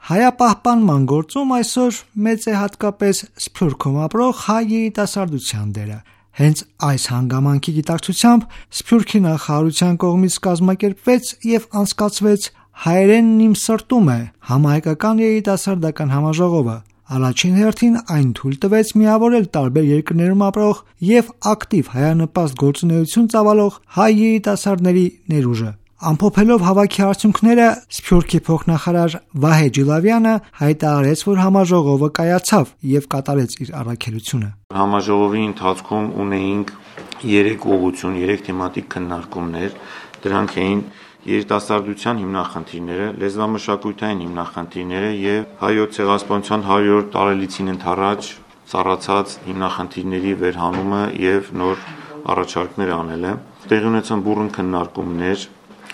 Հայապահպանման գործում այսօր մեծ է հատկապես Սփյուռքում ապրող հայ երիտասարդության դերը։ Հենց այս հանգամանքի գիտակցությամբ Սփյուռքի նախարարության կողմից կազմակերպվեց եւ անցկացվեց «Հայերենն իմ սրտում է» համահայկական երիտասարդական համաժողովը։ Առաջին հերթին այն թույլ տվեց միավորել տարբեր երկրներում ապրող եւ ակտիվ հայանպաստ գործունեություն ծավալող հայ երիտասարդների ներուժը։ Ամփոփելով հավաքի արդյունքները Սփյուռքի փոխնախարար Վահե Ջիլավյանը հայտարարեց, որ համաժողովը կայացավ եւ կատարեց իր առաքելությունը։ Համաժողովի ընթացքում ունեինք 3 ուղղություն, 3 թեմատիկ քննարկումներ, դրանք էին երիտասարդության հիմնախնդիրները, լեզվամշակութային հիմնախնդիրները եւ հայոց ցեղասպանության 100-րդ տարելիցին ընդառաջ ծառացած հիմնախնդիրների վերհանումը եւ նոր առաջարկներ անելը։ Տեղի ունեցան բուռն քննարկումներ,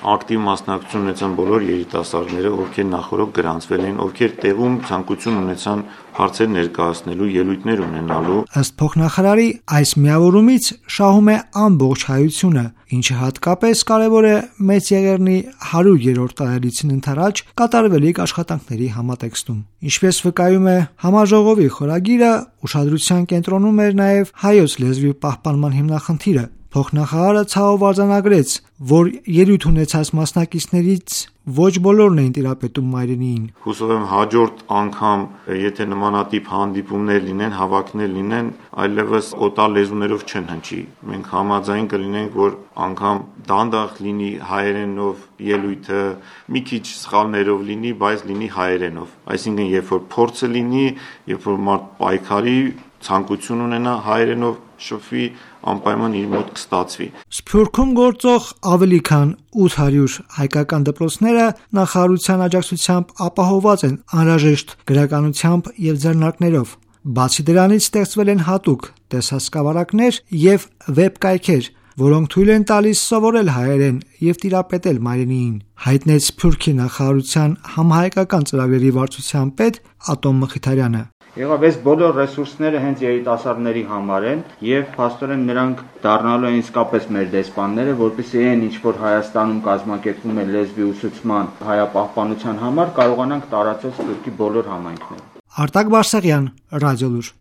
ակտիվ մասնակցություն ունեցան բոլոր երիտասարդները, ովքեր նախորդ գրանցվել են, ովքեր տեղում ցանկություն ունեցան հարցեր ներկայացնելու, ելույթներ ունենալու։ Ըստ փոխնախարարի, այս միավորումից շահում է ամբողջ հայությունը, ինչը հատկապես կարևոր է Մեծ Եղեռնի 100-րդ տարելիցին ընդառաջ կատարվելիք աշխատանքների համատեքստում։ Ինչպես վկայում է համաժողովի խորագիրը, ուշադրության կենտրոնում էր նաև հայոց լեզվի պահպանման հիմնախնդիրը։ Փոխնախարարը ցավով արձանագրեց, որ ելույթ ունեցած մասնակիցներից ոչ բոլորն էին տիրապետում մայրենիին։ Հուսով եմ հաջորդ անգամ, եթե նմանատիպ հանդիպումներ լինեն, հավաքներ լինեն, այլևս օտար լեզուներով չեն հնչի։ Մենք համաձայն կլինենք, որ անգամ դանդաղ լինի հայերենով ելույթը, մի քիչ սխալներով լինի, բայց լինի հայերենով։ Այսինքն, երբ որ փորձը լինի, երբ որ մարդ պայքարի, ցանկություն ունենա հայերենով շփվի, անպայման իր մոտ կստացվի։ Սփյուռքում գործող ավելի քան 800 հայկական դպրոցները նախարարության աջակցությամբ ապահովված են անհրաժեշտ գրականությամբ եւ ձեռնարկներով։ Բացի դրանից ստեղծվել են հատուկ տեսահսկավարակներ եւ վեբկայքեր, որոնք թույլ են տալիս սովորել հայերեն եւ տիրապետել մայրենիին, հայտնեց Սփյուռքի նախարարության համահայկական ծրագրերի վարչության պետ Ատոմ Մխիթարյանը։ Եղավ այս բոլոր ռեսուրսները հենց երիտասարդների համար են եւ փաստորեն նրանք դառնալու են իսկապես մեր դեսպանները, որպեսզի այն ինչ որ Հայաստանում կազմակերպվում է լեզվի ուսուցման հայապահպանության համար կարողանանք տարածել Սփյուռքի բոլոր համայնքներում։ Արտակ Բարսեղյան, Ռադիոլուր։